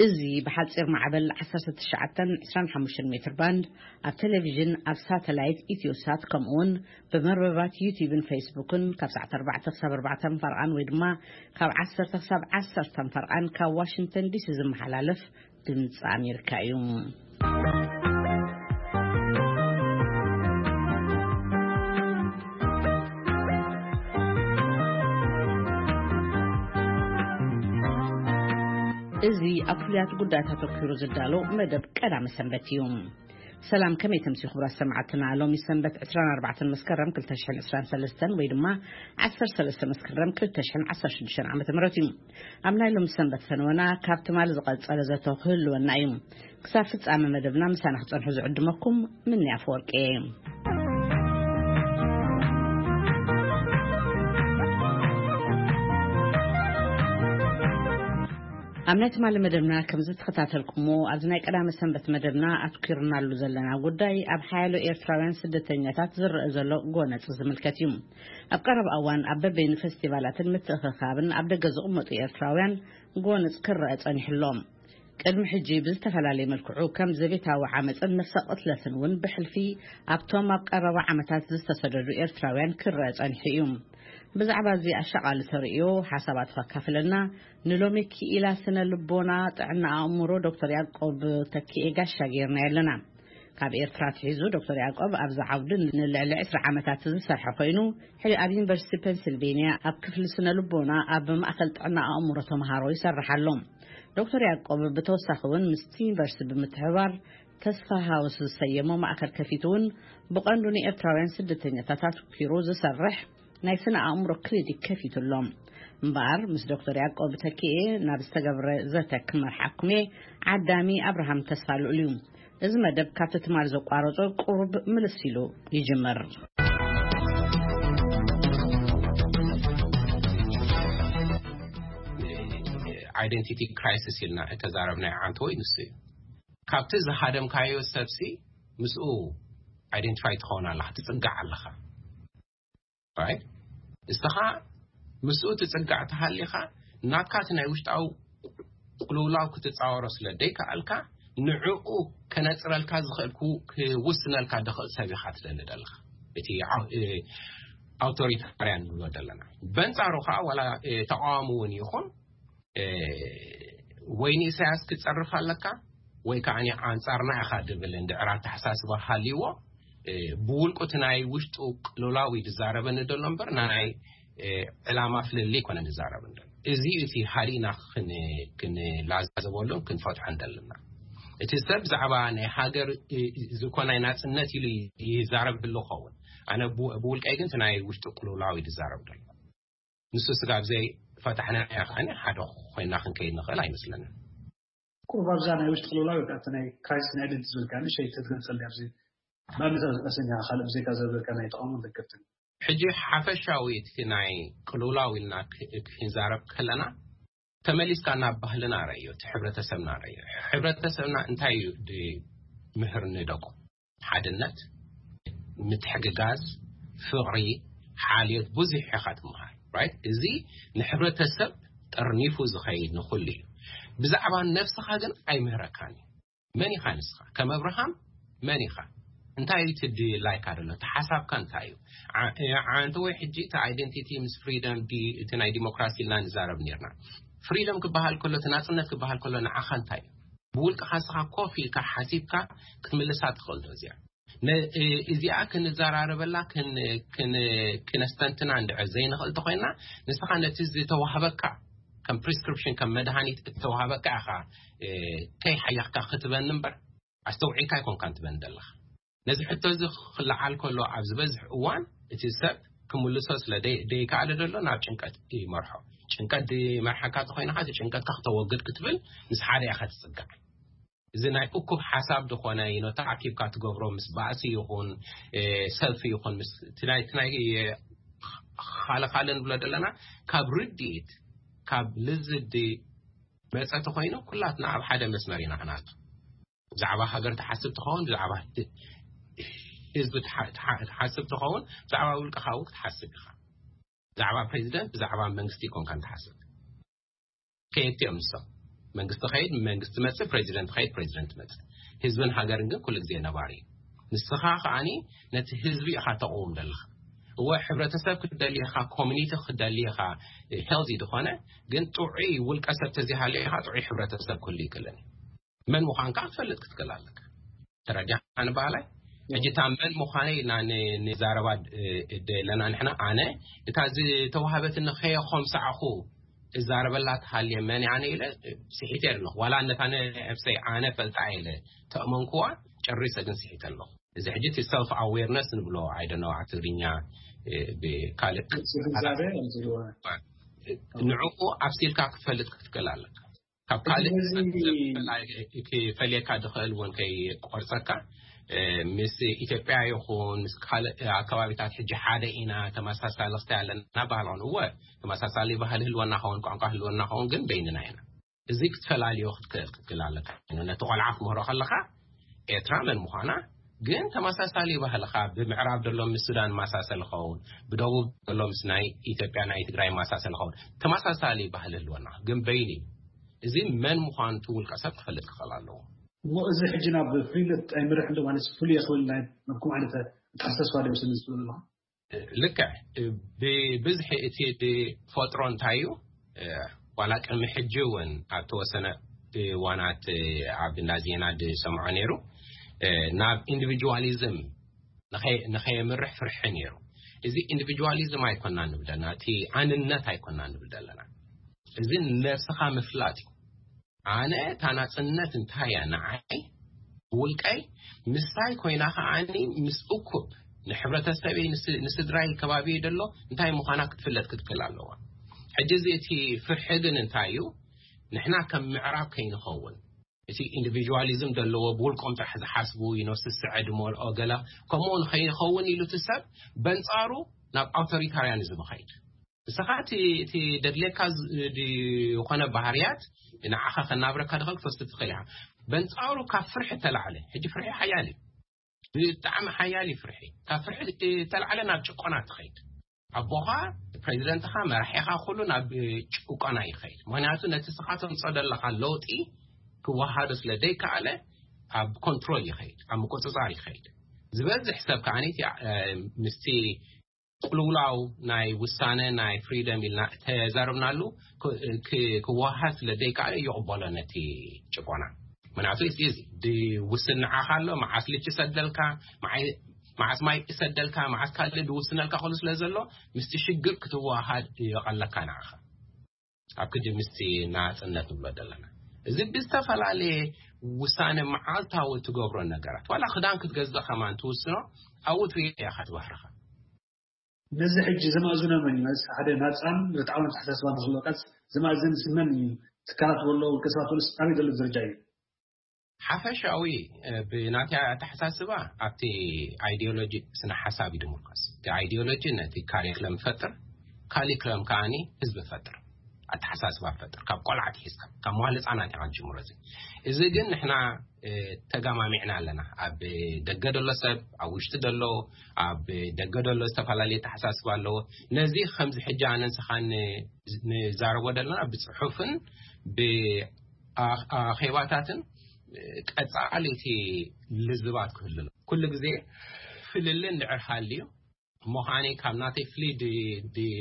እዚ ብሓጺር ማዕበል ዓሰርተ ትሽዓተ ዕስራን ሓሙሽተን ሜትር ባንድ ኣብ ቴሌቪዥን፣ ኣብ ሳተላይት ኢትዮሳት፣ ከምኡውን ብመርበባት ዩቲዩብን ፌስቡክን ካብ ሰዓት ኣርባዕተ ክሳብ ኣርባዕተ ፈርቓን ወይ ድማ ካብ ዓሰርተ ክሳብ ዓሰርተ ፈርቓን ካብ ዋሽንግተን ዲሲ ዝመሓላለፍ ድምፂ ኣሜሪካ እዩ። እዚ ኣብ ፍሉያት ጉዳያት ኣተኲሩ ዝዳሎ መደብ ቀዳመ ሰንበት እዩ። ሰላም፣ ከመይ ተምሲ ክቡራት ሰማዕትና? ሎሚ ሰንበት ዕስራን ኣርባዕተን መስከረም ክልተ ሽሕን ዕስራን ሰለስተን ወይ ድማ ዓሰርተ ሰለስተ መስከረም ክልተ ሽሕን ዓሰርተ ሽዱሽተን ዓመተ ምህረት እዩ። ኣብ ናይ ሎሚ ሰንበት ፈነወና ካብ ትማል ዝቐጸለ ዘቶ ክህልወና እዩ። ክሳብ ፍጻመ መደብና ምሳና ክጸንሑ ዝዕድመኩም ምንያ ኣፈወርቂ እየ። ኣብ ናይ ትማሊ መደብና ከም ዝተኸታተልኩሞ፣ ኣብዚ ናይ ቀዳመ ሰንበት መደብና ኣትኲርናሉ ዘለና ጉዳይ ኣብ ሓያሎ ኤርትራውያን ስደተኛታት ዝረአ ዘሎ ጎነጽ ዝምልከት እዩ። ኣብ ቀረባ እዋን ኣብ በበይኑ ፈስቲቫላትን ምትእኽኻብን ኣብ ደገ ዝቕመጡ ኤርትራውያን ጎነጽ ክረአ ጸኒሑ ኣሎ። ቅድሚ ሕጂ ብዝተፈላለየ መልክዑ ከም ዘቤታዊ ዓመጽን ነፍሰ ቅትለትን እውን ብሕልፊ ኣብቶም ኣብ ቀረባ ዓመታት ዝተሰደዱ ኤርትራውያን ክረአ ጸኒሑ እዩ። ብዛዕባ እዚ ኣሻቓሊ ተርእዮ ሓሳባት ከካፍለና ንሎሚ ክኢላ ስነ ልቦና ጥዕና ኣእምሮ ዶክተር ያዕቆብ ተኪኤ ጋሻ ጌርና ኣለና። ካብ ኤርትራ ኣትሒዙ ዶክተር ያዕቆብ ኣብዚ ዓውዲ ንልዕሊ ዕስራ ዓመታት ዝሰርሐ ኮይኑ፣ ሕጂ ኣብ ዩኒቨርሲቲ ፔንሲልቬንያ ኣብ ክፍሊ ስነ ልቦና ኣብ ማእከል ጥዕና ኣእምሮ ተምሃሮ ይሰርሕ ኣሎ። ዶክተር ያዕቆብ ብተወሳኺ እውን ምስቲ ዩኒቨርሲቲ ብምትሕብባር ተስፋ ሃውስ ዝሰየሞ ማእከል ከፊቱ እውን ብቐንዱ ንኤርትራውያን ስደተኛታት ኣትኲሩ ዝሰርሕ ናይ ስነ ኣእምሮ ክሊኒክ ከፊቱ ኣሎ። እምበኣር ምስ ዶክተር ያዕቆብ ተኪኤ ናብ ዝተገብረ ዘተ ክመርሓኩም እየ። ዓዳሚ ኣብርሃም ተስፋ ልኡል እዩ። እዚ መደብ ካብቲ ትማል ዘቋረጾ ቁሩብ ምልስ ኢሉ ይጅምር። ኣይደንቲቲ ክራይሲስ ኢልና እተዛረብናዮ ዓንተወይ ንሱ እዩ። ካብቲ ዝሃደምካዮ ሰብሲ ምስኡ ኣይደንቲፋይ ትኸውን ኣለኻ፣ ትጽጋዕ ኣለኻ። ራይት? እስኻ ምስኡ ትጽጋዕ ተሃሊኻ፣ ናትካ እቲ ናይ ውሽጣዊ ቅልውላው ክትጻወሮ ስለ ደይከኣልካ፣ ንዕኡ ከነጽረልካ ዝኽእል፣ ክውስነልካ ዝኽእል ሰብ ኢኻ ትደሊ ዘለኻ። እቲ ኣው-፣ እ፣ ኣውቶሪታርያን ንብሎ ዘለና። በንጻሩ ኸኣ ዋላ፣ እ፣ ተቃዋሚ እውን ይኹን፣ እ፣ ወይ ንኢሳያስ ክትጸርፍ ኣለካ ወይ ከኣ ኣንጻርና ኢኻ ድብል እንድዕር ኣተሓሳስባ ሃልይዎ፣ እ፣ ብውልቁ እቲ ናይ ውሽጡ ቅልውላው እዩ ዝዛረበኒ ዘሎ እምበር ናይ፣ እ፣ ዕላማ ፍልልይ ኣይኮነን ዝዛረበኒ ዘሎ። እዚ እዩ እቲ ሃሊና ክን-፣ ክንላዘበሉን ክንፈትሖን ዘለና። እቲ ሰብ ብዛዕባ ናይ ሃገር፣ እ፣ እዚ እኮ ናይ ናጽነት ኢሉ ይዛረብ ህሉ ኸውን። ኣነ ብ-፣ ብውልቀይ ግን እቲ ናይ ውሽጡ ቅልውላው እዩ ዝዛረብ ዘሎ። ንሱ ስጋብ ዘይፈታሕና ኢና ከዓኒ ሓደ ኮይና ክንከይድ ንኽእል ኣይመስለንን። ቁሩብ ኣብዛ ናይ ውሽጢ ቅልውላው ወይ ከዓ እቲ ናይ ክራይሲስ ናይ ኣይደንቲቲ ዝብል ከዓ ንእሽተይ ተትገልጸልና ኣብዚ ብኣብነት ኣሰኛ ካልእ ብዘይካ ዘበልካ ናይ ተቃውሞን ደገፍትን። ሕጂ ሓፈሻዊ እቲ ናይ ቅልውላው ኢልና ክ-፣ ክንዛረብ ከለና ተመሊስካ ናብ ባህልና ረእዮ፣ እቲ ሕብረተሰብና ረእዮ። ሕብረተሰብና እንታይ እዩ ድምህር ንደቁ? ሓድነት፣ ምትሕግጋዝ፣ ፍቕሪ፣ ሓልዮት ብዙሕ ኢኻ ትመሃር። ራይት? እዚ ንሕብረተሰብ ጠርኒፉ ዝኸይድ ንኹሉ እዩ። ብዛዕባ ነብስኻ ግን ኣይምህረካን እዩ። መን ኢኻ ንስኻ? ከም ኣብርሃም መን ኢኻ? እንታይ እዩ እቲ ድላይካ ዘሎ? እቲ ሓሳብካ እንታይ እዩ? ዓ-፣ ዓንተ ወይ ሕጂ እቲ ኣይደንቲቲ ምስ ፍሪደም ዲ-፣ እቲ ናይ ዲሞክራሲ ኢልና ንዛረብ ነርና። ፍሪደም ክበሃል ከሎ፣ እቲ ናጽነት ክበሃል ከሎ ንዓኻ እንታይ እዩ? ብውልቅኻ ንስኻ ኮፍ ኢልካ ሓሲብካ ክትምልሳ ትኽእል ዶ እዚኣ? ነ-፣ እ-፣ እዚኣ ክንዘራረበላ ክን-፣ ክን-፣ ክነስተንትና እንድዕር ዘይንኽእል ተኾይና፣ ንስኻ ነቲ ዝተዋህበካ ከም ፕሪስክሪፕሽን፣ ከም መድሃኒት እተዋህበካ ኢኻ፣ እ፣ ከይሓየኽካ ክትበኒ እምበር፣ ኣስተውዒልካ ኣይኮንካን ትበኒ ዘለኻ። ነዚ ሕቶ እዚ ክለዓል ከሎ ኣብ ዝበዝሕ እዋን እቲ ሰብ ክምልሶ ስለ ደይ-፣ ደይከኣለ ዘሎ ናብ ጭንቀት ይመርሖ። ጭንቀት ዝመርሓካ ተኾይንኻ፣ እቲ ጭንቀትካ ክተወግድ ክትብል ምስ ሓደ ኢኻ ትጽጋዕ። እዚ ናይ እኩብ ሓሳብ ዝኾነ፣ you know፣ ተኣኪብካ ትገብሮ ምስ ባእሲ ይኹን፣ እ፣ ሰልፊ ይኹን፣ ምስ እቲ ናይ፣ እቲ ናይ፣ እ፣ ኻለ ኻለ ንብሎ ዘለና፣ ካብ ርድኢት፣ ካብ ልዝዲ መጸ ተኾይኑ ኩላትና ኣብ ሓደ መስመር ኢና ክንኣቱ። ብዛዕባ ሃገር ትሓስብ ትኸውን፣ ብዛዕባ ህዝቢ ትሓ- ትሓ- ትሓስብ ትኸውን፣ ብዛዕባ ውልቀኻ እውን ክትሓስብ ኢኻ። ብዛዕባ ፕሬዚደንት፣ ብዛዕባ መንግስቲ ይኮንካ ትሓስብ። ከየት እዮም ንሶም? መንግስቲ ኸይድ መንግስቲ መጽእ፣ ፕሬዚደንት ኸይድ ፕሬዚደንት መጽእ። ህዝብን ሃገርን ግን ኩሉ ግዜ ነባሪ እዩ። ንስኻ ከዓኒ ነቲ ህዝቢ ኢኻ ተቕውም ዘለኻ። እወ፣ ሕብረተሰብ ክትደሊ ኢኻ፣ ኮሚኒቲ ክትደሊ ኢኻ፣ ሄልዚ ዝኾነ። ግን ጥዑይ ውልቀ ሰብ ተዚሃልዮ ኢኻ፣ ጥዑይ ሕብረተሰብ ክህሉ ይክእልን እዩ። መን ምዃንካ ክትፈልጥ ክትክእል ኣለካ። ተረዲኻ ንባህላይ? ሕጂ እታ መን ምዃነይ ኢልና ን- ንዛረባ እ፣ እደ ኣለና ንሕና። ኣነ እታ ዝተዋህበትኒ ከየኾምሳዕኹ እዛረበላ ትሃልየ መን ኣነ ኢለ ስሒተ ኣለኹ። ዋላ ነታ ነብሰይ ኣነ ፈልጣ ኢለ ተእመንኩዋ፣ ጨሪሰ ግን ስሒተ ኣለኹ። እዚ ሕጂ እቲ ሰልፍ ኣዌርነስ ንብሎ፣ I don't know ኣብ ትግርኛ እ፣ ብካልእ ግንዛቤ ንዕኡ ኣብሲልካ ክትፈልጥ ክትክእል ኣለካ። ካብ ካልእ እዚ ክፈልየካ ዝኽእል እውን ከይቆርፀካ፣ እ፣ ምስ ኢትዮጵያ ይኹን ምስ ካልእ ኣከባቢታት ሕጂ ሓደ ኢና፣ ተመሳሳሊ ክስታይ ኣለና ባህል ኾን። እወ፣ ተመሳሳሊ ባህል ህልወና ኸውን፣ ቋንቋ ህልወና ኸውን፣ ግን በይንና ኢና። እዚ ክትፈላልዮ ክትክእል ክትክእል ኣለካ። ነቲ ቆልዓ ክምህሮ ከለኻ ኤርትራ መን ምዃና፣ ግን ተመሳሳሊ ባህልኻ ብምዕራብ ዘሎ ምስ ሱዳን ማሳሰል ኸውን፣ ብደቡብ ዘሎ ምስ ናይ ኢትዮጵያ ናይ ትግራይ ማሳሰል ኸውን፣ ተመሳሳሊ ባህል ህልወና ግን በይኒ። እዚ መን ምዃኑ እቲ ውልቀ ሰብ ክፈልጥ ክኽእል ኣለዎ። እሞ እዚ ሕጂ ናብ ፍሉይነት ኣይምርሕ እንዶ ማለት ፍሉይ የኽብል ናይ ናብኩም ዓይነት ኣተሓሳስባ ዶ ይወስድ ዝብል ኣለኹ? ልክዕ። ብብዝሒ እቲ ዝፈጥሮ እንታይ እዩ? ዋላ ቅድሚ ሕጂ እውን ኣብ ተወሰነ እዋናት ኣብ እንዳ ዜና ዝሰምዖ ነይሩ፣ ናብ ኢንዲቪጁዋሊዝም ንኸይ- ንኸየምርሕ ፍርሒ ነይሩ። እዚ ኢንዲቪጁዋሊዝም ኣይኮና ንብል ዘለና፣ እቲ ኣንነት ኣይኮና ንብል ዘለና። እዚ ነብስኻ ምፍላጥ እዩ። ኣነ እታ ናጽነት እንታይ እያ ንዓይ ውልቀይ ምሳይ ኮይና ከዓኒ ምስ እኩብ ንሕብረተሰበይ ንስ- ንስድራይ ከባቢ ደሎ እንታይ ምዃና ክትፍለጥ ክትክእል ኣለዋ። ሕጂ እዚ እቲ ፍርሒ ግን እንታይ እዩ? ንሕና ከም ምዕራብ ከይንኸውን፣ እቲ ኢንዲቪጁዋሊዝም ዘለዎ ብውልቆም ጥራሕ ዝሓስቡ ይኖ ስስዐ ድመልኦ ገላ ከምኡ ንኸይኸውን ኢሉ እቲ ሰብ በንጻሩ ናብ ኣውቶሪታርያኒዝም ኸይድ። ንስኻ እቲ እቲ ደድሌካ ዝ- ድ- ዝኾነ ባህርያት ንዓኻ ከናብረካ ድኸል ክትወስድ ትኽእል ኢኻ። በንጻሩ ካብ ፍርሒ ተላዕለ። ሕጂ ፍርሒ ሓያል እዩ። ብጣዕሚ ሓያል እዩ ፍርሒ። ካብ ፍርሒ ተላዕለ ናብ ጭቆና ትኸይድ። ኣቦኻ፣ ፕሬዚደንትኻ፣ መራሒኻ ኩሉ ናብ ጭቆና ይኸይድ። ምክንያቱ ነቲ ስኻ ተምጾ ዘለኻ ለውጢ ክወሃዶ ስለ ደይከኣለ ኣብ ኮንትሮል ይኸይድ፣ ኣብ ምቁፅፃር ይኸይድ። ዝበዝሕ ሰብ ከዓ ምስቲ ቅልውላው ናይ ውሳነ ናይ ፍሪደም ኢልና ተዛረብናሉ ክወሃድ ስለ ደይከኣለ ይቕበሎ ነቲ ጭቆና። ምክንያቱ እዚ ድውስን ንዓኻ ኣሎ፣ መዓስ ልጅ ይሰደልካ፣ መዓስ ማይ ይሰደልካ፣ መዓስ ካልእ ድውስነልካ ክሉ ስለ ዘሎ ምስቲ ሽግር ክትወሃድ ይቐለካ ንዓኻ። ኣብ ክዲ ምስቲ ናጽነት ንብሎ ዘለና እዚ ብዝተፈላለየ ውሳነ መዓልታዊ ትገብሮ ነገራት፣ ዋላ ክዳን ክትገዝእ ከማን ትውስኖ ኣብኡ ትሪኦ ኢኻ ትባህርኻ። ነዚ ሕጂ ዘማእዝኖ መን እዩ? ሓደ ናጻን ርትዓውን ኣተሓሳስባ ንክህልወካስ ዘማእዝን ስመን እዩ? ትካላት ወሎ ውልቀ ሰባት ወሎስ ኣበይ ዘሎ ደረጃ እዩ? ሓፈሻዊ ብናተይ ኣተሓሳስባ ኣብቲ ኣይዲዮሎጂ ስነ ሓሳብ እዩ ድምርኮስ። እቲ ኣይዲዮሎጂ ነቲ ካሪክለም ይፈጥር፣ ካሪክለም ከዓኒ ህዝቢ ይፈጥር፣ ኣተሓሳስባ ይፈጥር። ካብ ቆልዓ ኣትሒዝካ ካብ መዋለ ህፃናት ኢኻ ትጅምሮ። እዚ እዚ ግን ንሕና ተጋማሚዕና ኣለና። ኣብ ደገ ደሎ ሰብ፣ ኣብ ውሽጢ ደሎ፣ ኣብ ደገ ደሎ ዝተፈላለየ ኣተሓሳስባ ኣለዎ። ነዚ ከምዚ ሕጂ ኣነ ንስኻን ንዛረቦ ዘለና ብፅሑፍን ብኣኼባታትን ቀፃሊ እቲ ልዝባት ክህሉ ኩሉ ግዜ ፍልል እንድዕር ሃልዩ እሞ ከዓኒ ካብ ናተይ ፍልይ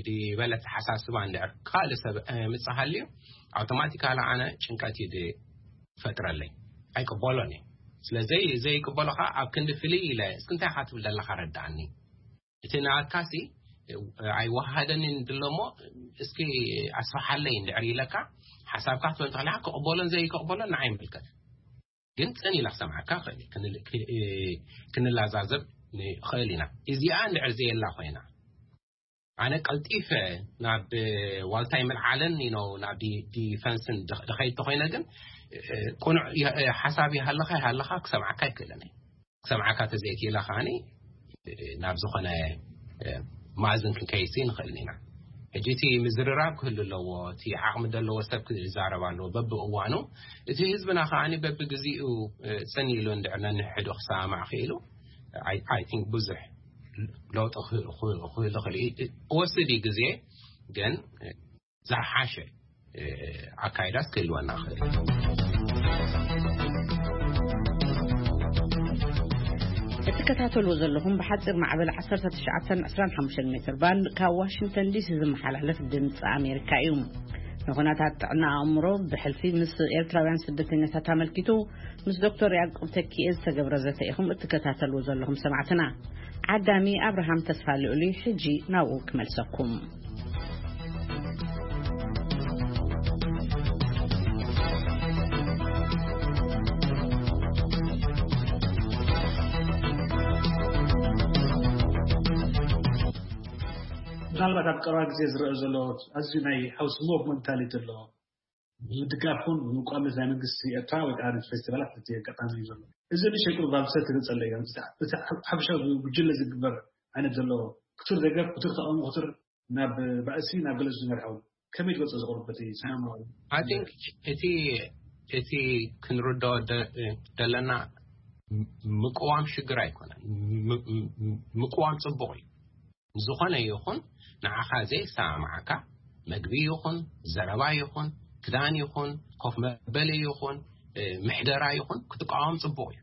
ድበለ ኣተሓሳስባ እንድዕር ካልእ ሰብ ምፅእ ሃልዩ ኣውቶማቲካሊ ኣነ ጭንቀት እዩ ዝፈጥረለይ። ኣይቅበሎን እዩ። ስለዚ ዘይቅበሎ ከዓ ኣብ ክንዲ ፍልይ ኢለ እስኪ እንታይ ኢኻ ትብል ዘለኻ ረድኣኒ። እቲ ናትካሲ ኣይወሃደንን ድሎ እሞ እስኪ ኣስፍሓለይ እንድዕር ኢለካ ሓሳብካ ክትበል ተኽእል ኢኻ። ክቕበሎን ዘይክቕበሎን ንዓይ ይምልከት። ግን ፅን ኢላ ክሰምዓካ ይኽእል እዩ። ክንል- ክ- ክንላዛዘብ ንኽእል ኢና። እዚኣ እንድዕር ዘየላ ኮይና ኣነ ቀልጢፈ ናብ ዋልታይ ምልዓልን ነው ናብ ዲ- ዲፈንስን ድ- ድኸይድ ተኮይነ ግን እ፣ ቁኑዕ የ- እ፣ ሓሳብ ይሃለኻ ይሃለኻ ክሰምዓካ ይክእልን እዩ። ክሰምዓካ ተዘይክኢላ ከዓኒ እ፣ ናብ ዝኾነ እ፣ ማእዝን ክንከይሲ ንኽእልን ኢና። ሕጂ እቲ ምዝርራብ ክህሉ ኣለዎ። እቲ ዓቕሚ ዘለዎ ሰብ ክዛረብ ኣለዎ በብእዋኑ። እቲ ህዝብና ከዓኒ በብግዚኡ፣ እ፣ ጽን ኢሉ እንድዕር ነንሕዶ ክሰማማዕ ክኢሉ፣ I, I think ብዙሕ ለውጢ ክህ-፣ ክህ-፣ ክህሉ ክእል እዩ። ክወስድ እዩ ግዜ፣ ግን፣ እ፣ ዝሓሸ፣ እ፣ ኣካይዳስ ክህልወና ክእል እዩ። እትከታተልዎ ዘለኹም ብሓፂር ማዕበል ዓሰርተ ትሽዓተ ዕስራን ሓሙሽተን ሜትር ባንድ ካብ ዋሽንግተን ዲሲ ዝመሓላለፍ ድምፂ ኣሜሪካ እዩ። ንኹነታት ጥዕና ኣእምሮ ብሕልፊ ምስ ኤርትራውያን ስደተኛታት ኣመልኪቱ ምስ ዶክተር ያዕቆብ ተኪኤ ዝተገብረ ዘተ ኢኹም እትከታተልዎ ዘለኹም ሰማዕትና። ዓዳሚ ኣብርሃም ተስፋ ልዑሊ ሕጂ ናብኡ ክመልሰኩም። ምናልባት ኣብ ቀረባ ግዜ ዝረአ ዘሎ ኣዝዩ ናይ ሃውስ ሞቭ መንታሊቲ ኣሎ። ምድጋፍ እውን ምቋመት ናይ መንግስቲ ኤርትራ ወይ ከዓ ነቲ ፌስቲቫላት እቲ ኣጋጣሚ እዩ ዘሎ። እዚ ንእሽተይ ቁሩብ ኣብ ሰብ ተገጸለ እዩ። እቲ ሓፈሻዊ ጉጅለ ዝግበር ዓይነት ዘሎ ክቱር ደገፍ፣ ክቱር ተቃውሞ፣ ክቱር ናብ ባእሲ፣ ናብ ገለ ዝመርሐው ከመይ ትገልጾ ዝቕርብ በቲ ሰላማዊ? I think እቲ እቲ ክንርድኦ ደ-፣ ደለና ምቅዋም ሽግር ኣይኮነን። ም-፣ ም-፣ ምቅዋም ጽቡቕ እዩ። ዝኾነ ይኹን ንዓኻ ዘይሰማማዓካ መግቢ ይኹን ዘረባ ይኹን ክዳን ይኹን ኮፍ መበሊ ይኹን፣ እ፣ ምሕደራ ይኹን ክትቃወም ጽቡቕ እዩ።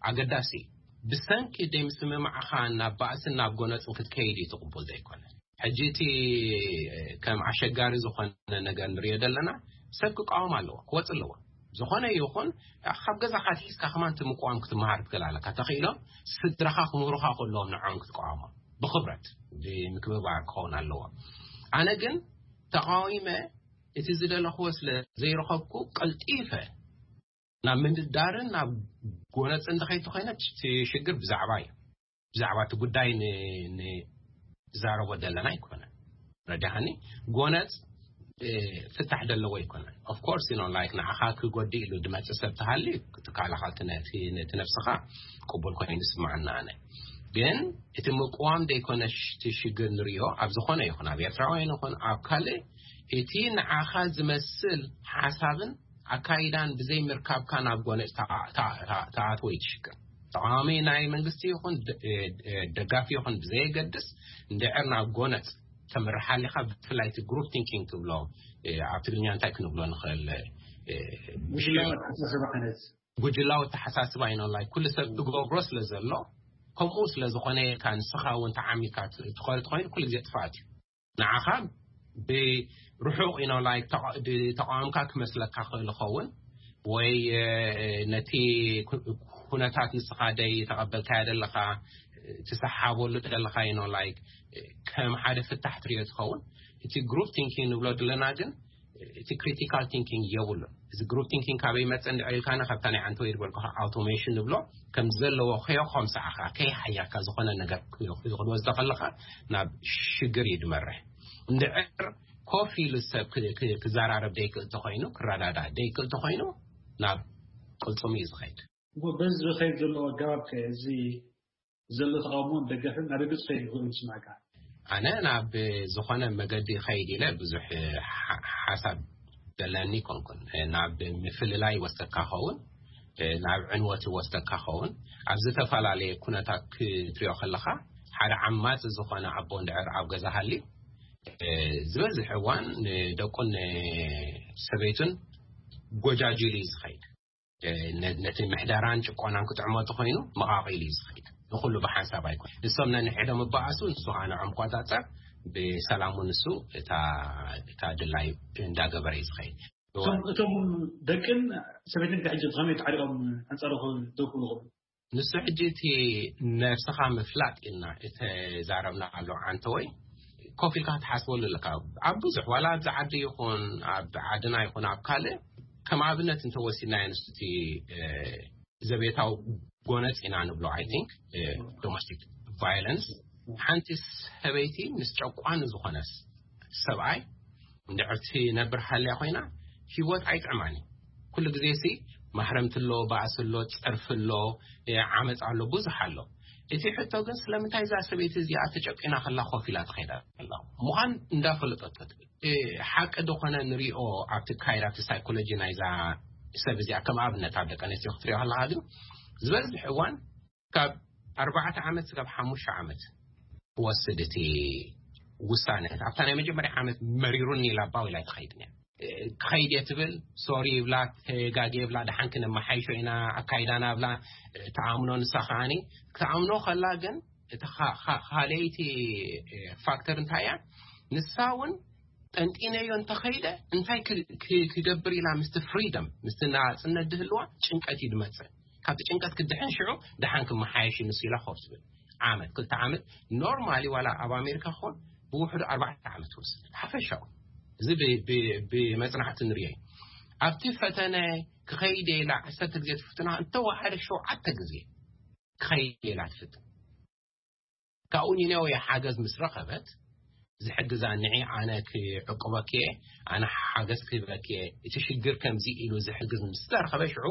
ኣገዳሲ እዩ። ብሰንኪ ደይ ምስምማዕኻ ናብ ባእስን ናብ ጎነጽን ክትከይድ እዩ ትቕቡል ዘይኮነ። ሕጂ እቲ ከም ኣሸጋሪ ዝኾነ ነገር ንሪኦ ዘለና ሰብ ክቃወም ኣለዎ፣ ክወጽእ ኣለዎ። ዝኾነ ይኹን ካብ ገዛኻ ኣትሒዝካ ከማን እቲ ምቅዋም ክትመሃር ትኽእል ኣለካ። ተኽኢሎም ስድራኻ ክምህሩኻ ከለዎም ንዖም ክትቃወሞም ብኽብረት ብምክብባር ክኸውን ኣለዎ። ኣነ ግን ተቃዊመ እቲ ዝደለኽዎ ስለ ዘይረኸብኩ ቀልጢፈ ናብ ምንዳርን ናብ ጎነጽ እንተኸይድ ተኾይነ እቲ ሽግር ብዛዕባ እዩ። ብዛዕባ እቲ ጉዳይ ን-፣ ንዛረቦ ዘለና ኣይኮነን። ረዳሃኒ ጎነጽ፣ እ፣ ፍታሕ ደለዎ ኣይኮነን። Of course, you know, like ንዓኻ ክጎድእ ኢሉ ድመጽእ ሰብ ተሃልዩ ትካላኻ እቲ ነቲ፣ ነቲ ነብስኻ ቅቡል ኮይኑ ይስምዓና ኣነ። ግን እቲ ምቅዋም ደይኮነ ሽ-፣ እቲ ሽግር ንሪኦ ኣብ ዝኾነ ይኹን ኣብ ኤርትራውያን ይኹን ኣብ ካልእ እቲ ንዓኻ ዝመስል ሓሳብን ኣካይዳን ብዘይ ምርካብካ ናብ ጎነጽ ተኣ-፣ ተኣ-፣ ተኣ-፣ ተኣትዎ እዩ እቲ ሽግር። ተቃዋሚ ናይ መንግስቲ ይኹን ደ-፣ እ፣ እ፣ ደጋፊ ይኹን ብዘየገድስ እንድዕር ናብ ጎነጽ ተምርሓሊኻ ብፍላይ እቲ ግሩፕ ቲንኪንግ ትብሎ፣ እ፣ ኣብ ትግርኛ እንታይ ክንብሎ ንኽእል፣ እ፣ ጉጅላዊ ኣተሓሳስባ ዓይነት። ጉጅላዊ ኣተሓሳስባ እዩ። ናይ ኩሉ ሰብ ትገብሮ ስለ ዘሎ ከምኡ ስለ ዝኾነ ኢልካ ንስኻ እውን ተዓሚካ ት-፣ ትኸሪ ተኾይኑ ኩሉ ግዜ ጥፍኣት እዩ። ንዓኻ ብርሑቕ you know like ተቓ-፣ ድ-፣ ተቃዋምካ ክመስለካ ክእል ይኸውን ወይ፣ እ፣ ነቲ ኩ-፣ ኩነታት ንስኻ ደይ ተቐበልካዮ ደለኻ ትሰሓበሉ ደለኻ you know like ከም ሓደ ፍታሕ ትሪኦ ትኸውን። እቲ ግሩፕ ቲንኪንግ ንብሎ ዘለና ግን እቲ ክሪቲካል ቲንኪንግ የብሉን። እዚ ግሩፕ ቲንኪንግ ካበይ መጸ እንድዒ ኢልካና ካብታ ናይ ዓንተወይ ዝበልኩኻ ኣውቶሜሽን ንብሎ ከም ዘለዎ ከዮ ከምሳዕኻ ከይሓየርካ ዝኾነ ነገር ክወስዶ ከለኻ ናብ ሽግር እዩ ድመርሕ። እንድዕር ኮፍ ኢሉ ሰብ ክ-፣ ክ-፣ ክዘራረብ ደይክእል ተኾይኑ፣ ክረዳዳእ ደይክእል ተኾይኑ ናብ ቅልጽሙ እዩ ዝኸይድ። እሞ በዚ ዝኸይድ ዘሎ ኣገባብ ከ እዚ ዘሎ ተቃውሞን ደገፍን ናብ ግብጽ ከይድ ይኽእል ይስማዕካ? ኣነ ናብ ዝኾነ መገዲ ከይድ ኢለ ብዙሕ ሓ-፣ ሓሳብ ዘለኒ ኮንኩን። ናብ ምፍልላይ ወስደካ ኸውን፣ ናብ ዕንወት ወስደካ ኸውን። ኣብ ዝተፈላለየ ኩነታት ክትሪኦ ከለኻ ሓደ ዓማጺ ዝኾነ ኣቦ እንድዕር ኣብ ገዛ ሃልዩ፣ ዝበዝሕ እዋን ንደቁን ሰበይቱን ጎጃጅሉ እዩ ዝኸይድ። ነ-፣ ነቲ ምሕደራን ጭቆናን ክጥዕሞ እንተኾይኑ መቓቒሉ እዩ ዝኸይድ። ንኹሉ ብሓንሳብ ኣይኮን። ንሶም ነንሕዶም እበኣሱ፣ ንሱ ከዓ ንዖም ቆጻጸር፣ ብሰላሙ ንሱ እታ፣ እታ ድላይ እንዳገበረ እዩ ዝኸይድ። እቶም፣ እቶም ደቅን ሰበይትን ከ ሕጂ ከመይ ተዓሪቖም ኣንጻሩ ክደው ክብሉ ይኽእሉ? ንሱ ሕጂ እቲ ነብስኻ ምፍላጥ ኢልና እተዛረብና ኣሎ ዓንተወይ፣ ኮፍ ኢልካ ክትሓስበሉ ኣለካ። ኣብ ብዙሕ፣ ዋላ ኣብዚ ዓዲ ይኹን፣ ኣብ ዓድና ይኹን ኣብ ካልእ፣ ከም ኣብነት እንተወሲድናዮ ንሱ እቲ፣ እ፣ ዘቤታዊ ጎነጽ ኢና ንብሎ፣ I think፣ እ፣ ዶሜስቲክ ቫዮለንስ፣ ሓንቲ ሰበይቲ ምስ ጨቋኒ ዝኾነስ ሰብኣይ እንድዕር ትነብር ሃልያ ኮይና፣ ህይወት ኣይጥዕማን እዩ። ኩሉ ግዜ ሲ ማህረምቲ ኣሎ፣ ባእሲ ኣሎ፣ ጸርፊ ኣሎ፣ እ፣ ዓመጽ ኣሎ፣ ብዙሕ ኣሎ። እቲ ሕቶ ግን ስለምንታይ እዛ ሰበይቲ እዚኣ ተጨቂና ከላ ኮፍ ኢላ ትኸይዳ ኣላ ምዃን እንዳፈለጠቶ ትብል። ሓቂ ዝኾነ ንሪኦ ኣብቲ ካይድ ኣብቲ ሳይኮሎጂ ናይዛ ሰብ እዚኣ ከም ኣብነት ኣብ ደቂ ኣንስትዮ ክትሪኦ ከለካ ግን ዝበዝሕ እዋን ካብ ኣርባዕተ ዓመት ስጋብ ሓሙሽተ ዓመት ክወስድ እቲ ውሳነ ኣብታ ናይ መጀመርያ ዓመት መሪሩኒ ኢላ ባው ኢላ ኣይትኸይድን እያ። ክኸይድ እየ ትብል፣ ሶሪ ይብላ፣ ተጋጊ ይብላ፣ ደሓን ክነመሓይሾ ኢና ኣካይዳና ብላ ተኣምኖ። ንሳ ከዓኒ ክትኣምኖ ከላ ግን እቲ ካልኣይቲ ፋክተር እንታይ እያ? ንሳ እውን ጠንጢነዮ እንተኸይደ እንታይ ክገብር ኢላ ምስቲ ፍሪደም ምስቲ ናፅነት ድህልዋ ጭንቀት እዩ ድመፅእ። ካብቲ ጭንቀት ክድሕን ሽዑ ደሓን ክመሓየሽ ንሱ ኢላ ኮፍ ትብል። ዓመት ክልተ ዓመት ኖርማሊ ዋላ ኣብ ኣሜሪካ ክኾን ብውሕዱ ኣርባዕተ ዓመት ትወስድ ሓፈሻኡ። እዚ ብመፅናዕቲ ንሪኦ። ኣብቲ ፈተነ ክኸይድ ኢላ ዓሰርተ ግዜ ትፍትና እንተወሓደ ሸውዓተ ግዜ ክኸይድ ኢላ ትፍትን። ካብኡ ኒነዌ ሓገዝ ምስ ረኸበት ዝሕግዛ ንዒ ኣነ ክዕቅበኪ እየ፣ ኣነ ሓገዝ ክህበኪ እየ፣ እቲ ሽግር ከምዚ ኢሉ ዝሕግዝ ምስ ተረኸበ ሽዑ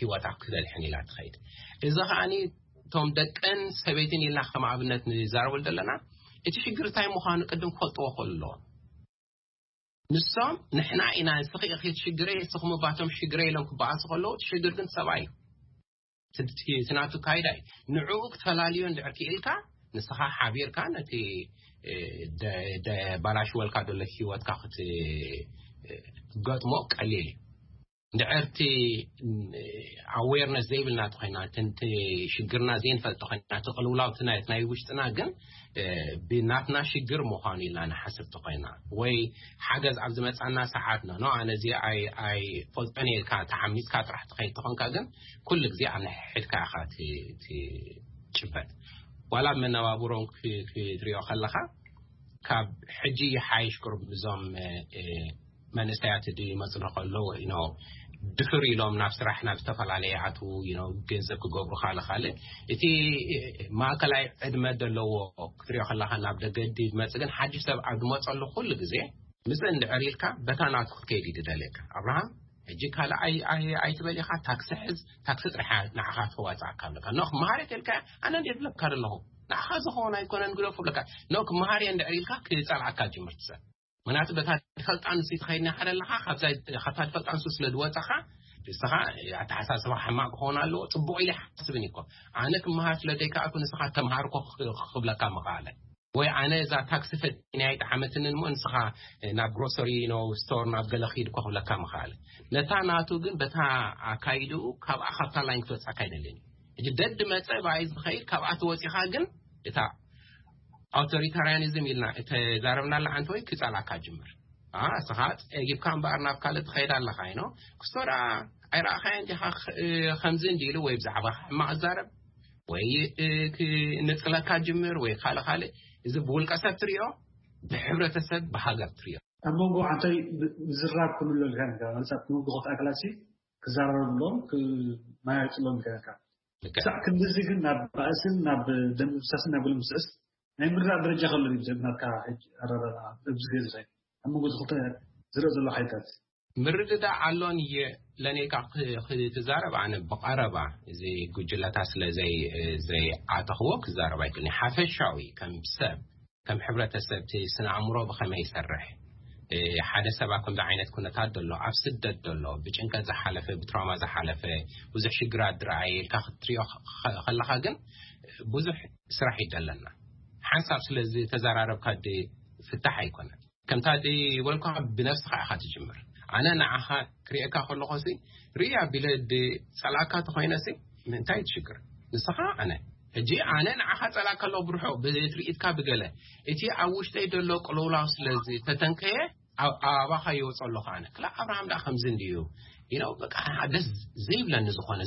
ህይወታ ክደልሕን ኢላ ትኸይድ። እዚ ከዓኒ እቶም ደቀን ሰበይትን ኢልና ከም ኣብነት ንዛረበሉ ዘለና እቲ ሽግር እንታይ ምዃኑ ቅድም ክፈልጥዎ ክኽእሉ ኣለዎም። ንሶም ንሕና ኢና ንስኺ ኢኺ እቲ ሽግረይ ንስኹም ባቶም ሽግረይ ኢሎም ክበኣሱ ከለዉ እቲ ሽግር ግን ሰብኣይ እዩ። እቲ ናቱ ካይዳ እዩ። ንዕኡ ክትፈላልዮ እንድሕር ክኢልካ ንስኻ ሓቢርካ ነቲ ደባላሽወልካ ዘሎ ህይወትካ ክትገጥሞ ቀሊል እዩ። እንድሕር እቲ ኣዌርነስ ዘይብልና ተኮይና እቲ ሽግርና ዘይንፈልጥ ተኮይና እቲ ቅልውላው ናይ ውሽጥና ግን ብናትና ሽግር ምዃኑ ኢልና ንሓስብ ተኮይና ወይ ሓገዝ ኣብ ዝመፃና ሰዓት ኖ ኣነ እዚ ኣይፈልጦን ኢልካ ተሓሚፅካ ጥራሕ ትኸይድ ተኾንካ ግን ኩሉ ግዜ ኣብ ንሕድካ ኢኻ ትጭበጥ። ዋላ መነባብሮም ክትሪኦ ከለኻ ካብ ሕጂ ይሓይሽ ቅሩብ እዞም መንእሰያት ድመፅና ከለዉ ድፍር ኢሎም ናብ ስራሕ ናብ ዝተፈላለየ ኣትዉ ገንዘብ ክገብሩ ካልእ ካልእ እቲ ማእከላይ ዕድመ ዘለዎ ክትሪኦ ከለካ ናብ ደገ ድመፅእ ግን ሓድሽ ሰብ ኣብ ድመፀሉ ኩሉ ግዜ ምስ እንድዕር ኢልካ በታ ናቱ ክትከይድ እዩ ድደልየካ። ኣብርሃም ሕጂ ካልእ ኣይትበል ኢኻ፣ ታክሲ ሕዝ፣ ታክሲ ጥራሕ ንዓኻ ተዋፅኣካ ኣለካ። ኖ ክመሃር የትልካ ኣነ እንደ ዝብለካ ዘለኹ ንዓኻ ዝኸውን ኣይኮነን ግደፉ ብለካ። ኖ ክመሃር እየ እንድዕር ኢልካ ክፀልኣካ ጅምር ትሰብ ምክንያቱ በታ ድፈልጣ ንሱ ትኸይድ ናይ ሓደ ኣለኻ ካብታ ድፈልጣ ንሱ ስለ ዝወፀኻ ንስኻ ኣተሓሳስባ ሕማቅ ክኸውን ኣለዎ። ፅቡቅ ኢለ ሓስብን እኮ ኣነ ክመሃር ስለ ዘይከኣልኩ ንስኻ ተምሃር እኮ ክብለካ ምኽኣለ ወይ ኣነ እዛ ታክሲ ፈጢነ ኣይጠዓመትንን እሞ ንስኻ ናብ ግሮሰሪ ኖ ስቶር ናብ ገለ ኪድ እኮ ክብለካ ምኽኣለ። ነታ ናቱ ግን በታ ኣካይድኡ ካብኣ ካብታ ላይን ክትወፅኣካ ኣይደልን እዩ። ሕጂ ደድ መፀ ብኣይ ዝኸይድ ካብኣ ተወፂኻ ግን እታ ኣውቶሪታርያኒዝም ኢልና እተዛረብናላ ዓንተ ወይ ክፀላካ ጅምር። እስኻ ፀጊብካ እምበኣር ናብ ካልእ ትኸይድ ኣለኻ ኢኖ ክስቶ ደኣ ኣይረኣኻዮ እንዲኻ ከምዚ እንዲ ኢሉ ወይ ብዛዕባ ሕማቕ ዛረብ ወይ ንፅለካ ጅምር ወይ ካልእ ካልእ። እዚ ብውልቀ ሰብ ትሪኦ ብሕብረተሰብ ብሃገር ትሪኦ። ኣብ መንጎ ዓንተይ ምዝራብ ክህሉ ኣለካ ማለት ኣብ መንጎ ክልተ ኣካላት ክዛረበሎም ክመያየጥሎም ይከኣልካ። ክሳዕ ክንድዚ ግን ናብ ባእስን ናብ ደም ምፍሳስን ናብ ገለ ምስዕስ ናይ ምርዳእ ደረጃ ከሎ እዩ ናትካ ሕጂ ኣረዳድኣ ኣብዚ ግዜ ዝኸይድ ኣብ መንጎ ክልተ ዝረእ ዘሎ ሓይልታት። ምርድዳእ ኣሎን ለኔካ ክትዛረብ ኣነ ብቐረባ እዚ ጉጅለታት ስለ ዘይኣተኽዎ ክዛረብ ኣይክእልን። ሓፈሻዊ ከም ሰብ ከም ሕብረተሰብ እቲ ስነ ኣእምሮ ብኸመይ ይሰርሕ ሓደ ሰብ ኣብ ከምዚ ዓይነት ኩነታት ዘሎ ኣብ ስደት ዘሎ ብጭንቀት ዝሓለፈ ብትራውማ ዝሓለፈ ብዙሕ ሽግራት ዝረኣየ ኢልካ ክትሪኦ ከለካ ግን ብዙሕ ስራሕ ይደለና። ሓንሳብ ስለ ዝተዘራረብካ ፍታሕ ኣይኮነን። ከምታ ዝበልኩ ብነብስኻ ኢኻ ትጅምር። ኣነ ንዓኻ ክሪኤካ ከለኹ ሲ ርኢ ኣቢለ ዝፀልኣካ ተኾይነ ሲ እንታይ ትሽግር ንስኻ ኣነ ሕጂ ኣነ ንዓኻ ፀላእ ከሎ ብርሑ ብትርኢትካ ብገለ እቲ ኣብ ውሽጠይ ዘሎ ቅልውላው ስለ ዝተተንከየ ኣባኻ ይወፅ ኣለኹ ኣነ ክላ ኣብርሃም ዳ ከምዚ እንድዩ ኢነው በቃ ደስ ዘይብለኒ ዝኾነ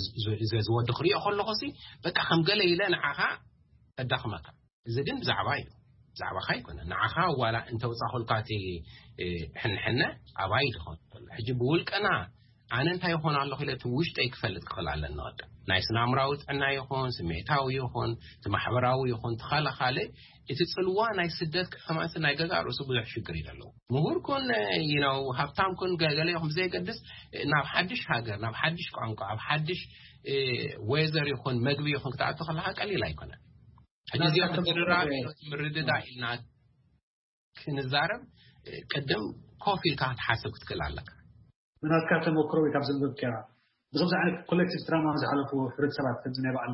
ዝወዲ ክሪኦ ከለኹ ሲ በቃ ከም ገለ ኢለ ንዓኻ እዳኽመካ። እዚ ግን ብዛዕባ እዩ ብዛዕባኻ ኣይኮነ ንዓኻ ዋላ እንተውፃኹልካ እቲ ሕንሕነ ኣባይ ዝኾነ ሕጂ ብውልቀና ኣነ እንታይ ይኾን ኣለኹ ኢለ እቲ ውሽጠይ ክፈልጥ ክኽእል ኣለኒ። ቅድም ናይ ስናምራዊ ጥዕና ይኹን፣ ስሜታዊ ይኹን፣ እቲ ማሕበራዊ ይኹን፣ ተኻላኻለ እቲ ጽልዋ ናይ ስደት ክሕማት ናይ ገዛ ርእሱ ብዙሕ ሽግር እዩ ዘለዎ። ምሁር ኩን፣ you know፣ ሃብታም ኩን፣ ገ- ገለ ይኹን ብዘይገድስ፣ ናብ ሓድሽ ሃገር፣ ናብ ሓድሽ ቋንቋ፣ ኣብ ሓድሽ እ፣ ዌዘር ይኹን መግቢ ይኹን ክትኣቱ ከለካ ቀሊል ኣይኮነን። ሕጂ እዚኦም ምድርራብ ምርድዳ ኢልና ክንዛረብ፣ ቅድም ኮፍ ኢልካ ክትሓስብ ክትክእል ኣለካ። ናትካ ተመክሮ ወይ ካብ ዘንበብካ፣ ብከምዚ ዓይነት ኮሌክቲቭ ትራማ ዝሓለፉ ሕብረተሰባት፣ ከምዚ ናይ በዓል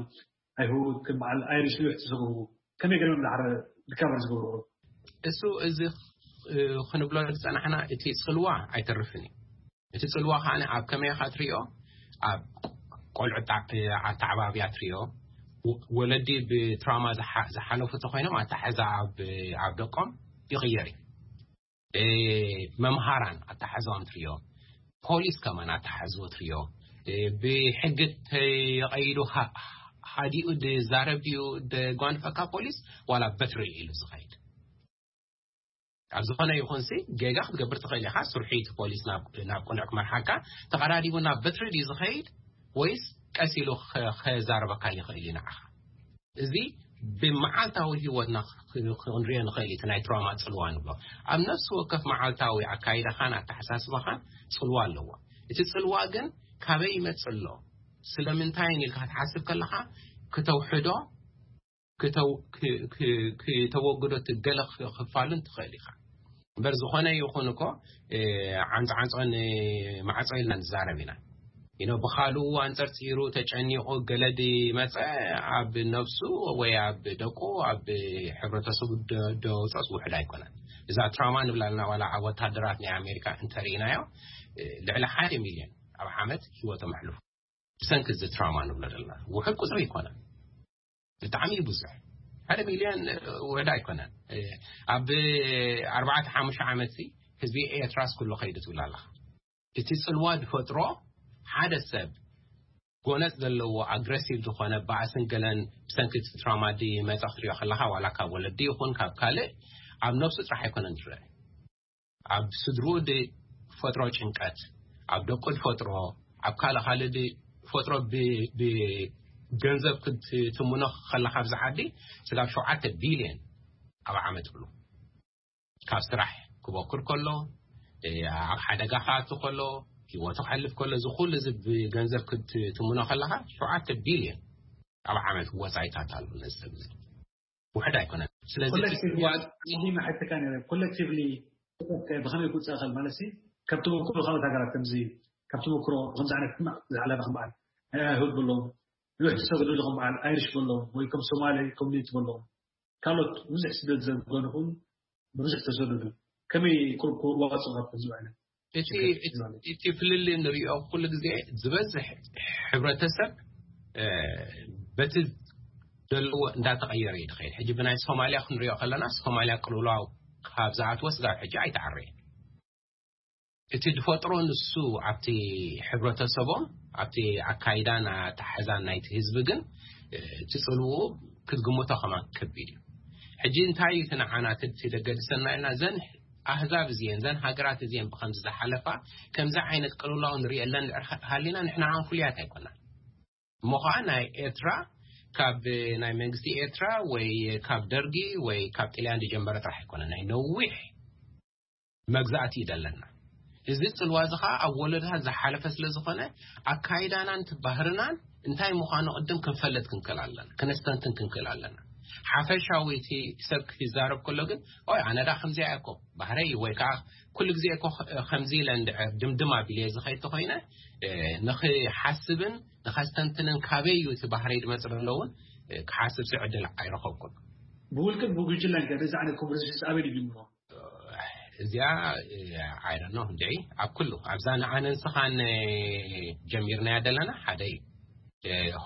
ኣይሁድ፣ ከም በዓል ኣይሪሽ፣ ነዊሕ ዝሰጉ፣ ከመይ ገይሮም ድሓር ሪካቨር ዝገብሩ? እሱ እዚ ክንብሎ ዝፀናሕና፣ እቲ ፅልዋ ኣይተርፍን እዩ። እቲ ፅልዋ ከዓ ኣብ ከመይ ኢኻ ትሪኦ? ኣብ ቆልዑ ኣተዓባብያ ትሪኦ። ወለዲ ብትራማ ዝሓለፉ ተኮይኖም ኣተሓሕዛ ኣብ ደቆም ይቕየር እዩ። መምሃራን ኣተሓሕዛኦም ትሪኦ። ፖሊስ ከማን ኣተሓሕዝዎ ትሪኦ። ብሕጊ ተቐይዱ ሃዲኡ ዝዛረብ ድዩ ደጓንፈካ ፖሊስ፣ ዋላ በትሪ ኢሉ ዝኸይድ? ኣብ ዝኾነ ይኹን ሲ ጌጋ ክትገብር ትኽእል ኢኻ። ስርሒት ፖሊስ ናብ ቅኑዕ ክመርሓካ ተቐዳዲሙ ናብ በትሪ ድዩ ዝኸይድ፣ ወይስ ቀስ ኢሉ ከዛረበካ ይኽእል እዩ ንዓኻ? እዚ ብመዓልታዊ ህይወትና ክንሪኦ ንኽእል እቲ ናይ ትራውማ ፅልዋ ንብሎ። ኣብ ነፍሲ ወከፍ መዓልታዊ ኣካይዳኻን ኣተሓሳስባኻን ፅልዋ ኣለዎ። እቲ ፅልዋ ግን ካበይ ይመፅእ ኣሎ፣ ስለምንታይ ኢልካ ክትሓስብ ከለኻ፣ ክተውሕዶ፣ ክተወግዶ፣ ገለ ክፋሉን ትኽእል ኢኻ። እምበር ዝኾነ ይኹን እኮ ዓንፃዓንፆን ማዕፆ ኢልና ንዛረብ ኢና። ኢኖ ብኻልኡ ኣንፀርፂሩ ተጨኒቑ ገለዲ መፀ፣ ኣብ ነብሱ ወይ ኣብ ደቁ፣ ኣብ ሕብረተሰቡ ደውፀስ ውሕድ ኣይኮነን። እዛ ትራውማ ንብላልና ዋላ ኣብ ወታደራት ናይ ኣሜሪካ እንተርኢናዮ፣ ልዕሊ ሓደ ሚልዮን ኣብ ዓመት ህይወቶም ኣሕልፉ። ብሰንኪ እዚ ትራውማ ንብሎ ዘለና ውሕድ ቁፅሪ ኣይኮነን። ብጣዕሚ ብዙሕ፣ ሓደ ሚልዮን ውሕድ ኣይኮነን። ኣብ ኣርባዕተ ሓሙሽተ ዓመት ህዝቢ ኤርትራስ ኩሉ ከይዱ ትብል ኣለኻ። እቲ ፅልዋ ዝፈጥሮ ሓደ ሰብ ጎነፅ ዘለዎ ኣግረሲቭ ዝኾነ ባእስን ገለን ብሰንኪ እቲ ትራውማ ድመፀ ክትሪኦ ከለኻ፣ ዋላ ካብ ወለዲ ይኹን ካብ ካልእ፣ ኣብ ነብሱ ጥራሕ ኣይኮነን ዝረአ። ኣብ ስድርኡ ዝፈጥሮ ጭንቀት፣ ኣብ ደቁ ዝፈጥሮ፣ ኣብ ካልእ ካልእ ዝፈጥሮ፣ ብገንዘብ ክትትምኖ ከለኻ ኣብዚ ዓዲ ስጋብ ሸውዓተ ቢልዮን ኣብ ዓመት ብሉ። ካብ ስራሕ ክበኩር ከሎ፣ ኣብ ሓደጋ ክኣቱ ከሎ፣ ህይወቱ ክሕልፍ ከሎ፣ እዚ ኩሉ እዚ ብገንዘብ ክትትምኖ ከለኻ ሸውዓተ ቢልዮን ኣብ ዓመት ወፃኢታት ኣሎ ነዚ ሰብ እዚ። ውሕድ ኣይኮነን። ስለዚ ኮሌክቲቭሊ ኮሌክቲቭሊ ብኸመይ ክውፅእ ይኽእል ማለት ሲ፣ ካብ ተመክሮ ካልኦት ሃገራት ከምዚ፣ ካብ ተመክሮ ከምዚ ዓይነት ሕማቕ ዝሓለፈ ከም በዓል ኣይሁድ በሎም፣ ንውሕ ዝሰገዱ ከም በዓል ኣይሪሽ በሎም፣ ወይ ከም ሶማሊ ኮሚኒቲ በሎም፣ ካልኦት ብዙሕ ስደት ዘገኑ ኹን ብዙሕ ተሰደዱ፣ ከመይ ክዋፅኡ ካብ ከምዚ ዓይነት እቲ ፍልልይ ንሪኦ ኩሉ ግዜ ዝበዝሕ ሕብረተሰብ በቲ ዘለዎ እንዳተቐየረ እዩ ዝኸይድ። ሕጂ ብናይ ሶማልያ ክንሪኦ ከለና፣ ሶማልያ ቅልውላው ካብ ዝኣትወ ስጋብ ሕጂ ኣይተዓረየን። እቲ ዝፈጥሮ ንሱ ኣብቲ ሕብረተሰቦም፣ ኣብቲ ኣካይዳን ኣተሓሕዛን ናይቲ ህዝቢ ግን፣ እቲ ፅልውኡ ክትግምቶ ከማን ከቢድ እዩ። ሕጂ እንታይ እዩ እቲ ንዓና እቲ ደገድሰና ኢልና፣ ዘን ኣህዛብ እዚኤን፣ ዘን ሃገራት እዚኤን ብከምዚ ዝሓለፋ፣ ከምዚ ዓይነት ቅልውላው ንሪኤለን ድሕር ሃሊና፣ ንሕና ከኣ ፍሉያት ኣይኮናን። እሞ ኸዓ ናይ ኤርትራ ካብ ናይ መንግስቲ ኤርትራ ወይ ካብ ደርጊ ወይ ካብ ጥልያን ዝጀመረ ጥራሕ ኣይኮነ፣ ናይ ነዊሕ መግዛእቲ እዩ ዘለና። እዚ ጽልዋ እዚ ኸዓ ኣብ ወለዶታት ዝሓለፈ ስለ ዝኾነ፣ ኣካይዳናን እቲ ባህርናን እንታይ ምዃኑ ቅድም ክንፈልጥ ክንክእል ኣለና፣ ክነስተንትን ክንክእል ኣለና። ሓፈሻዊ እቲ ሰብ ክዛረብ ከሎ ግን፣ ኦይ፣ ኣነ ደኣ ከምዚኣ እየ እኮ፣ ባህረይ እዩ፣ ወይ ከዓ ኩሉ ግዜ እኮ ከምዚ ኢለ እንድዕር ድምድም ኣቢለ ዝኸይድ ተኾይነ፣ እ፣ ንኽሓስብን ንኸስተንትንን ካበይ እዩ እቲ ባህረይ ዝመጽእ ዘሎ እውን፣ እ፣ ክሓስብ ዕድል ኣይረኸብኩን። ብውልቅን ብጉጅለን ከ ነዚ ዓይነት ኮንቨርሴሽንስ ኣበይ ድዩ ጅምሮ? እዚኣ፣ I don't know፣ እንድዒ ኣብ ኩሉ፣ ኣብዛ ንዓነ ንስኻን ጀሚርናያ ዘለና ሓደ እዩ።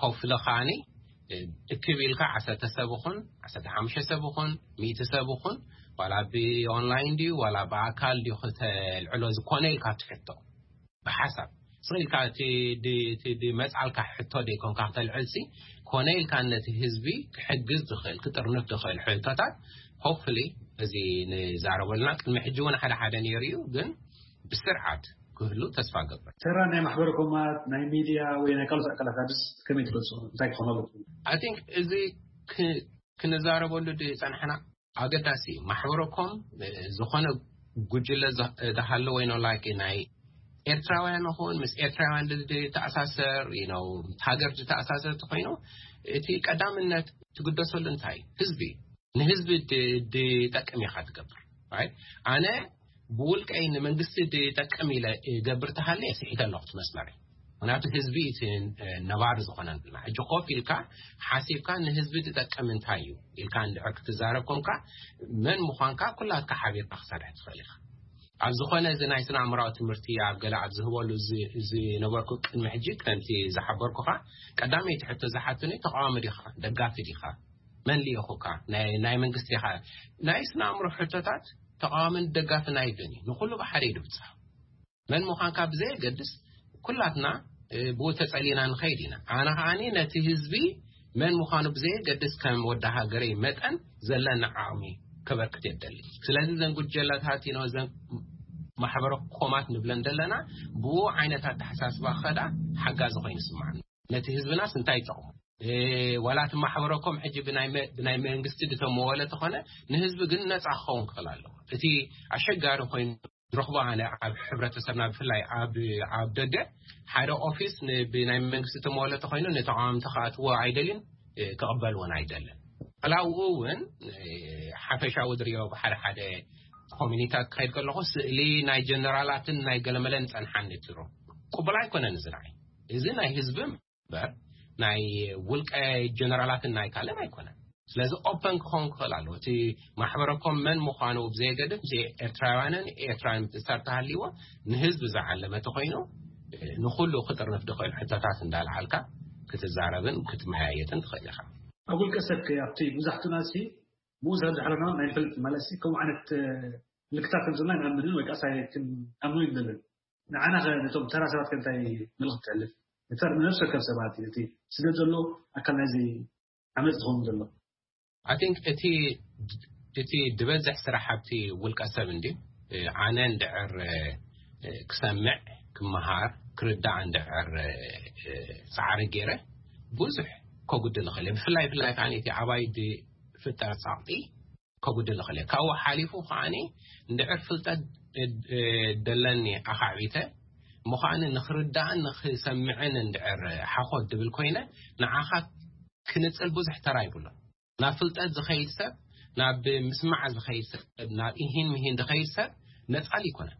ሆፍሊ ከዓኒ እክብ ኢልካ ዓሰርተ ሰብ ይኹን፣ ዓሰርተ ሓሙሽተ ሰብ ይኹን፣ ሚእቲ ሰብ ይኹን፣ ዋላ ብኦንላይን ድዩ ዋላ ብኣካል ድዩ ክተልዕሎ፣ እዚ ኮነ ኢልካ ትሕቶ ብሓሳብ ስቕ ኢልካ እቲ ድ-፣ እቲ ድመጽኣልካ ሕቶ ደይኮንካ ክተልዕልሲ፣ ኮነ ኢልካ ነቲ ህዝቢ ክሕግዝ ዝኽእል፣ ክጥርንፍ ዝኽእል ሕቶታት፣ ሆፕፉሊ፣ እዚ ንዛረበሉና። ቅድሚ ሕጂ እውን ሓደ ሓደ ነይሩ እዩ፣ ግን ብስርዓት ክህሉ ተስፋ ገብር። ተራ ናይ ማሕበረ ኮማት፣ ናይ ሚድያ ወይ ናይ ካልኦት ኣካላት ኣድስ ከመይ ትገልጹ? እንታይ ክኾን ኣለኩም? I think እዚ ክ- ክንዛረበሉ ዝጸናሕና ኣገዳሲ እዩ። ማሕበረ ኮም ዝኾነ ጉጅለ ዝሃለ ወይ ነው like ናይ ኤርትራውያን ይኹን ምስ ኤርትራውያን ዝተኣሳሰር ነው ሃገር ዝተኣሳሰር ተኮይኑ፣ እቲ ቀዳምነት ትግደሰሉ እንታይ እዩ? ህዝቢ። ንህዝቢ ዝጠቅም ኢኻ ትገብር። ኣነ ብውልቀይ ንመንግስቲ ዝጠቅም ኢለ ገብር ተሃለ ስሒተ ኣለኹ ትመስመር። ምክንያቱ ህዝቢ እቲ ነባሪ ዝኾነ ንብልና ሕጂ ኮፍ ኢልካ ሓሲብካ ንህዝቢ ዝጠቅም እንታይ እዩ ኢልካ እንድሕር ክትዛረብ ኮንካ፣ መን ምዃንካ ኩላትካ ሓቢርካ ክሰርሕ ትኽእል ኢኻ። ኣብ ዝኾነ እዚ ናይ ስነ ኣእምራዊ ትምህርቲ ኣብ ገለ ኣብ ዝህበሉ ዝነበርኩ ቅድሚ ሕጂ ከምቲ ዝሓበርኩኻ፣ ቀዳመይቲ ሕቶ ዝሓትኒ ተቃዋሚ ዲኻ ደጋፊ ዲኻ፣ መን ልኢኹካ፣ ናይ መንግስቲ ኢኻ? ናይ ስነ ኣእምሮ ሕቶታት ተቃዋምን ደጋፍን ኣይብልን እዩ። ንኩሉ ብሓደ እዩ ድብፅሕ። መን ምዃንካ ብዘየገድስ ኩላትና ብኡ ተጸሊና ንኸይድ ኢና። ኣነ ከዓኒ ነቲ ህዝቢ መን ምዃኑ ብዘየገድስ ከም ወዲ ሃገረይ መጠን ዘለኒ ዓቕሚ ከበርክት የደሊ። ስለዚ ዘን ጉጀለታት ነው ዘን ማሕበረ ኮማት ንብለን ዘለና ብኡ ዓይነት ኣተሓሳስባ ከዳ ሓጋዚ ኮይኑ ስማዕኒ። ነቲ ህዝብናስ እንታይ ይጠቕሙ? ዋላ እቲ ማሕበረ ኮም ሕጂ ብናይ መንግስቲ ዝተመወለ ተኾነ ንህዝቢ ግን ነፃ ክኸውን ክኽእል ኣለዎ። እቲ ኣሸጋሪ ኮይኑ ዝረኽቦ ኣነ ኣብ ሕብረተሰብና ብፍላይ ኣብ ደገ ሓደ ኦፊስ ብናይ መንግስቲ ተመወለ ተኾይኑ ንተቃዋምቲ ክኣትዎ ኣይደልን፣ ክቕበል እውን ኣይደልን። ላውኡ እውን ሓፈሻዊ ዝሪኦ ብሓደ ሓደ ኮሚኒታት ክኸይድ ከለኹ ስእሊ ናይ ጀነራላትን ናይ ገለመለን ጸንሓን ነትሩ ቅቡል ኣይኮነን። እዚ ንዓይ እዚ ናይ ህዝቢ እምበር ናይ ውልቀ ጀነራላትን ናይ ካልእን ኣይኮነን። ስለዚ ኦፐን ክኸውን ክኽእል ኣለዎ። እቲ ማሕበረኮም መን ምዃኑ ብዘየገድፍ ምስ ኤርትራውያንን ኤርትራን ምትእስሳር ተሃልይዎ ንህዝቢ ዝዓለመ ተኾይኑ ንኹሉ ክጥርንፍ ዝኽእል ሕቶታት እንዳልዓልካ ክትዛረብን ክትመያየጥን ትኽእል ኢኻ። ኣብ ውልቀ ሰብከ ኣብቲ መብዛሕትኡና ሲ ብኡ ዝሓለና ናይ ንፈልጥ ማለት ሲ ከምኡ ዓይነት ምልክታት ከም ዘለና ንኣምንን ወይ ከዓ ሳይ ክንኣምኖ ይደልን። ንዓና ከ ነቶም ተራ ሰባት ከ እንታይ መልእኽቲ ተሕልፍ? ነተር ንነፍሲ ወከፍ ሰባት እቲ ስደት ዘሎ ኣካል ናይዚ ዓመፅ ዝኸውን ዘሎ። I think እቲ እቲ ዝበዝሕ ስራሕ ኣብቲ ውልቀ ሰብ እንዲ ኣነ እንድዕር ክሰምዕ ክመሃር ክርዳእ እንድዕር ፃዕሪ ገይረ ብዙሕ ከጉድል ይኽእል። ብፍላይ ብፍላይ ከዓ እቲ ኣባይ ዝፍጠር ፃቕጢ ከጉድል ይኽእል። ካብኡ ሓሊፉ ከዓኒ እንድዕር ፍልጠት ደለኒ ኣኻዕቢተ ምዃኒ ንኽርዳእን ንኽሰምዕን እንድዕር ሓኾት ድብል ኮይነ ንዓኻ ክንጽል ብዙሕ ተራ ይብሎ። ናብ ፍልጠት ዝኸይድ ሰብ፣ ናብ ምስማዕ ዝኸይድ ሰብ፣ ናብ ኢሂን ምሂን ዝኸይድ ሰብ ነጻል ይኮነ።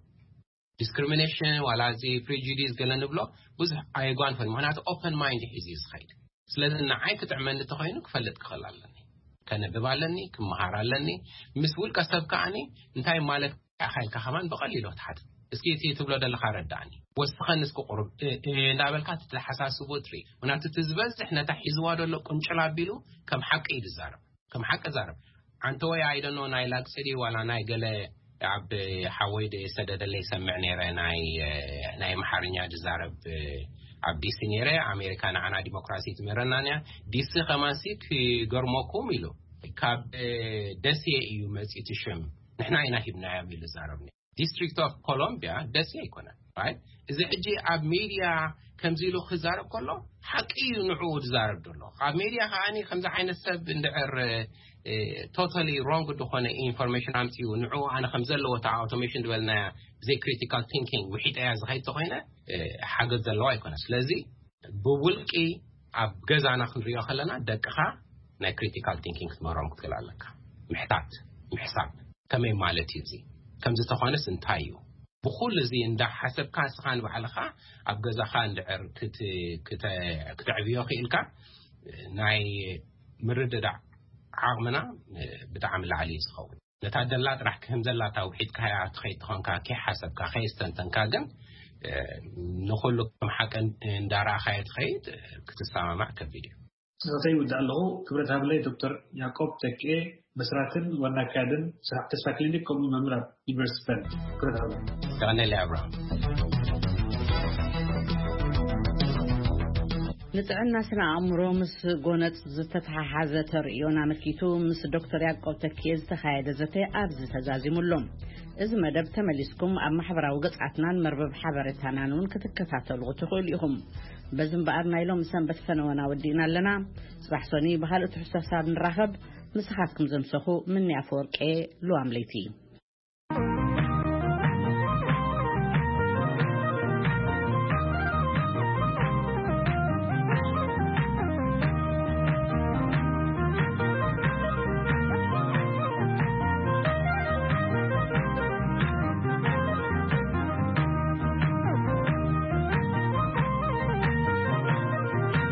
ዲስክሪሚኔሽን ዋላ እዚ ፕሪጁዲስ ገለ ንብሎ ብዙሕ ኣየጓንፈን። ምክንያቱ ኦፐን ማይንድ ሒዙ እዩ ዝኸይድ። ስለዚ ንዓይ ክጥዕመኒ ተኾይኑ ክፈልጥ ክኽእል ኣለኒ፣ ከነብብ ኣለኒ፣ ክመሃር ኣለኒ። ምስ ውልቀ ሰብ ከዓኒ እንታይ ማለት ኢኻ ኢልካ ከማን ብቐሊሉ ክትሓት። እስኪ እቲ ትብሎ ዘለኻ ረዳእኒ፣ ወስኸኒ እስኪ ቁሩብ እንዳበልካ እቲ ተሓሳስቦ ትርኢ። ምክንያቱ እቲ ዝበዝሕ ነታ ሒዝዋ ዘሎ ቁንጭል ኣቢሉ ከም ሓቂ እዩ ዝዛረብ። ከም ሓቂ ዛረብ። ዓንተ ወይ ኣይደኖ ናይ ላግፅዲ ዋላ ናይ ገለ ኣብ ሓወይ ዝሰደደለይ ሰምዕ ነይረ። ናይ ናይ ኣምሓርኛ ዝዛረብ ኣብ ዲሲ ነይረ። ኣሜሪካ ንዓና ዲሞክራሲ ትምህረና እያ። ዲሲ ከማንሲ ክገርመኩም ኢሉ ካብ ደሴ እዩ መፂእ እቲ ሽም፣ ንሕና ኢና ሂብናዮም ኢሉ ዛረብ። ዲስትሪክት ኦፍ ኮሎምቢያ ደሴ ኣይኮነን። እዚ ሕጂ ኣብ ሚድያ ከምዚ ኢሉ ክዛረብ ከሎ ሓቂ እዩ ንዕኡ ዝዛረብ ዘሎ። ኣብ ሚድያ ከዓኒ ከምዚ ዓይነት ሰብ እንድዕር ቶታሊ ሮንግ ዝኾነ ኢንፎርሜሽን ኣምፅኡ ንዕኡ ኣነ ከም ዘለዎ እታ ኣውቶሜሽን ዝበልናያ ብዘይ ክሪቲካል ቲንኪንግ ውሒጠያ ዝኸይድ ተኮይነ ሓገዝ ዘለዎ ኣይኮነ። ስለዚ ብውልቂ ኣብ ገዛና ክንሪኦ ከለና ደቅኻ ናይ ክሪቲካል ቲንኪንግ ክትምህሮም ክትክእል ኣለካ። ምሕታት ምሕሳብ ከመይ ማለት እዩ እዚ? ከምዚ ተኾነስ እንታይ እዩ? ብኩሉ እዚ እንዳሓሰብካ ንስኻ ንባዕልኻ ኣብ ገዛኻ እንድዕር ክት- ክተ- ክተዕብዮ ክኢልካ ናይ ምርድዳእ ዓቕምና ብጣዕሚ ላዕሊ እዩ ዝኸውን። ነታ ደላ ጥራሕ ክህም ዘላታ ውሒጥካያ ትኸይድ ተኾንካ ከይሓሰብካ ከየስተንተንካ ግን ንኹሉ ከም ሓቂ እንዳረኣኻዮ ትኸይድ ክትሰማማዕ ከቢድ እዩ። ስኽተይ ይውዳእ ኣለኹ። ክብረት ሃብለይ ዶክተር ያዕቆብ ተክኤ መስራትን ዋና ኣካያድን ስራሕ ተስፋ ክሊኒክ ከምኡ መምህር ኣብ ዩኒቨርሲቲ በርን። ክብረት ሃብለይ። ተቐነለይ ኣብርሃም። ንጥዕና ስነ ኣእምሮ ምስ ጎነጽ ዝተተሓሓዘ ተርእዮን ኣመልኪቱ ምስ ዶክተር ያዕቆብ ተኪኤ ዝተኻየደ ዘተ ኣብዚ ተዛዚሙ ኣሎ። እዚ መደብ ተመሊስኩም ኣብ ማሕበራዊ ገጻትናን መርበብ ሓበሬታናን እውን ክትከታተሉ ትኽእሉ ኢኹም። በዚ እምበኣር ናይ ሎሚ ሰንበት ፈነወና ወዲእና ኣለና። ጽባሕ ሶኒ ብኻልእ ትሕዝቶታት ንራኸብ። ምስኻትኩም ዘምሰኹ ምኒ ኣፈወርቄ፣ ሉዋም ለይቲ።